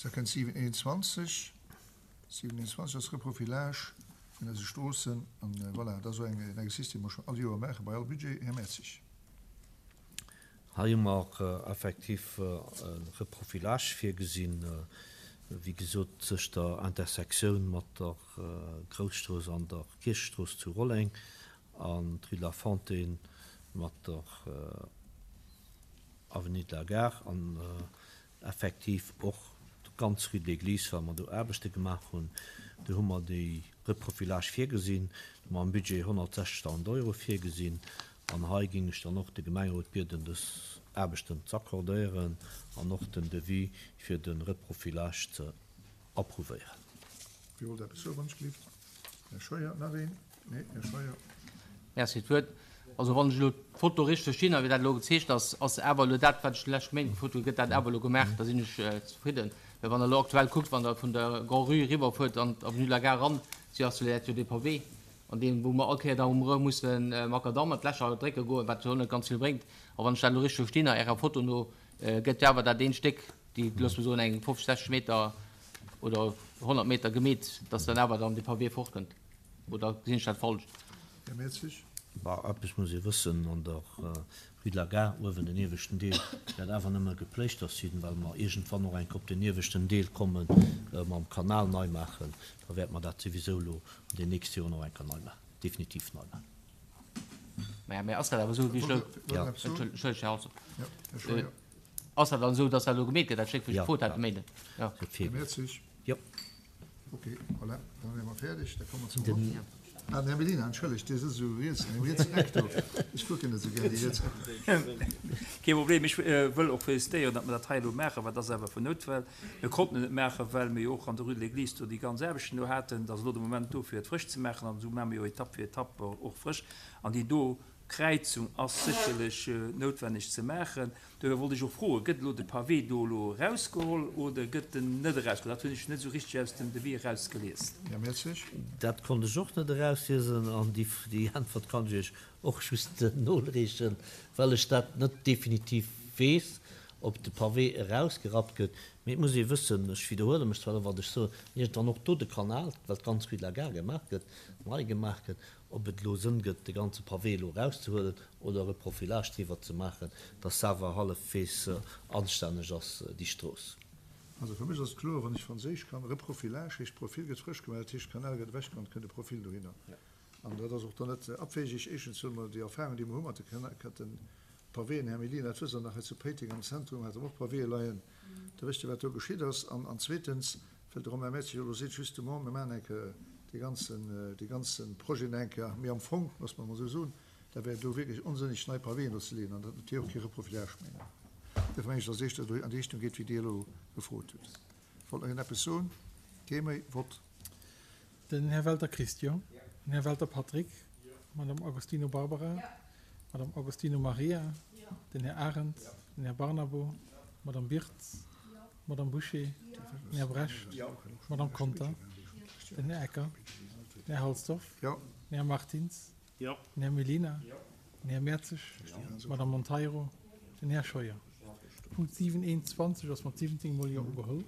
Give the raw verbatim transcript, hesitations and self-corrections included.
Da kënnt siwen eenundzwanzeg. Siwen eenundzwanzeg ass Reprofilage vun eise Stroossen. An voilà, dat ass esou en Exercice, dee mer schonn all Joer maache bei all Budget. Här Mertzig. Hei hu mer effektiv e Reprofilage virgesinn, wéi gesot, tëscht der Intersektioun mat der Grousstrooss an der Kierchestrooss zu Rolleng an d'Rue de la Fontaine mat der Avenue de la Gare an effektiv och d'ganz Rue de l'Église, well mer do Aarbechte gemaach hunn. Do hu mer déi Reprofilage virgesinn, do hu mer am Budget honnertsechzegtausend Euro virgesinn. An hei géing ech dann och de Gemengerot bieden, dës Aarbechten z'accordéieren an och den Devis fir de Reprofilage ze approuvéieren. Wie wollt eppes soen, wann ech gelift? Här Scheuer, nach een? Nee, Här Scheuer. Merci fir d'Wuert. Also wann ech elo d'Foto richteg verstinn a wéi dat elo gezeecht ass, ass awer elo dat, wat ech déi lescht Méint gefrot hunn, gëtt dat awer elo gemaach, da sinn ech zefridden. Well wann Der elo aktuell kuckt, wann Der vun der Grand-Rue eriwwerfuert an d'Avenue de la Gare eran, si ass jo dat jo dee Pavé, an deem, wou mer all Kéier da um erëm musse Makadamm an d'Lächer drécke goen, wat jo och net ganz vill bréngt. A wann ech dat elo richteg verstinn, a Ärer Foto no, gëtt jo awer dat eent Stéck, déi, loosse mer soen, eng fofzeg, sechzeg Meter oder honnert Meter gemeet, dass dann awer dann dee Pavé fortkënnt. Oder gesinn ech dat falsch? Här Mertzig. Bah, eppes muss ee wëssen, An der Rue de la Gare uewen, den ieweschten Deel wäert awer nëmme gepléischtert sinn, well mer iergendwann och eng Kéier op den ieweschten Deel komme mam Kanal nei maachen. Da wäerte mer dat souwisou elo an den nächste Joren och eng Kéier nei maachen, definitiv nei maachen. Maja, mä ass dat awer esou, wéi ech elo, Ja. Entschëllegt, Här Halsdorf. Ja, Här Scheuer. Ass dat dann esou, dass dat elo gemeet gëtt, dat Stéck, wou ech Ja, gefrot hat ja. de Méinden? Ja. Gëtt Här virgesinn. Mertzig. Jo. Ok, voilà, dann wiere mer fäerdeg. Da komme mer zum Vott. Ah, den Här Mellina, entschëllegt, Dir sëtzt esou riets an deem rietsen Eck do. Ech kucken net esou gär déi riets Ecken. Kee Problem. Ech wëll och félicitéieren, datt mer dat hei elo maachen, well dat ass awer vun Nout, well mir konnten et net maachen, well mir jo och an der Rue de l'Église do déi ganz Aarbechten do haten. Et ass elo de Moment do, fir et frësch ze maachen, an esou maache mer jo Etapp fir Etapp och frësch. An déi do Kräizung ass sécherlech noutwenneg ze maachen. Dofir wollt ech och froen, Gëtt elo de Pavé do elo erausgeholl oder gëtt en net erausgeholl? Dat hunn ech net esou richteg aus dem Devis erausgelies. Här Mertzig. Dat konnt ech och net erausliesen an déi Äntwert kann ech Iech och just noreechen, well ech dat net definitiv weess, ob de Pavé erausgerappt gëtt. Mee et muss ee wëssen, ech widderhuele mech zwar elo, wat ech soen, iergendwann och do de Kanal, well d'ganz Rue de la Gare gemaach gëtt, nei gemaach gëtt, ob et elo Sënn gëtt, de ganze Pavé elo erauszehuelen oder e Profilage driwwer ze maachen, dass se awer hallefwegs anstänneg ass, déi Strooss. Also fir mech ass et kloer, wann ech Franséisch kann, Reprofilage heescht, d'Profil gëtt frësch gemaach, dat heescht, de Kanal gëtt ewechgeholl, et kënnt e Profil dohinner. An dat ass och dann net abwegig. Éischtens huele mer déi Erfahrung, déi mer hu mat de Kanal, Pavéen, Här Mellina, dat wësst Der nach, hei zu Péiteng am Zentrum hate mer och Pavéë leien. Da wësst Dir, wat do geschitt ass. An, an zweetens, well de Romain Mertzig jo elo seet, justement, mir maachen eng Kéier dee ganzen, dee ganze Projet nach eng Kéier méi am Fong, loosse mer emol esou soen, da wär et elo wierklech onsënneg, nei Pavéen do ze leeën. An dat huet jo och kee Reprofilage méi. Duerfir mengen ech, dass et éischter do an déi Richtung geet, wéi Dir elo gefrot hutt. Wollt nach een eppes soen? Kee méi? Vott. Den Här Welter Christian. Den Här Welter Patrick. D'Madame Agostino Barbara. D'Madame Agostino Maria. Den Här Arendt. Den Här Barnabo. D'Madame Birtz. D'Madame Bouché. Den Här Brecht. D'Madame Conter. Den Här Ecker. Den Här Halsdorf. Den Här Martins. Den Här Mellina. Den Här Mertzig. D'Madame Monteiro. Den Här Scheuer. Punkt siwen eent zwanzeg ass mat siwwenzéng mol Jo ugeholl.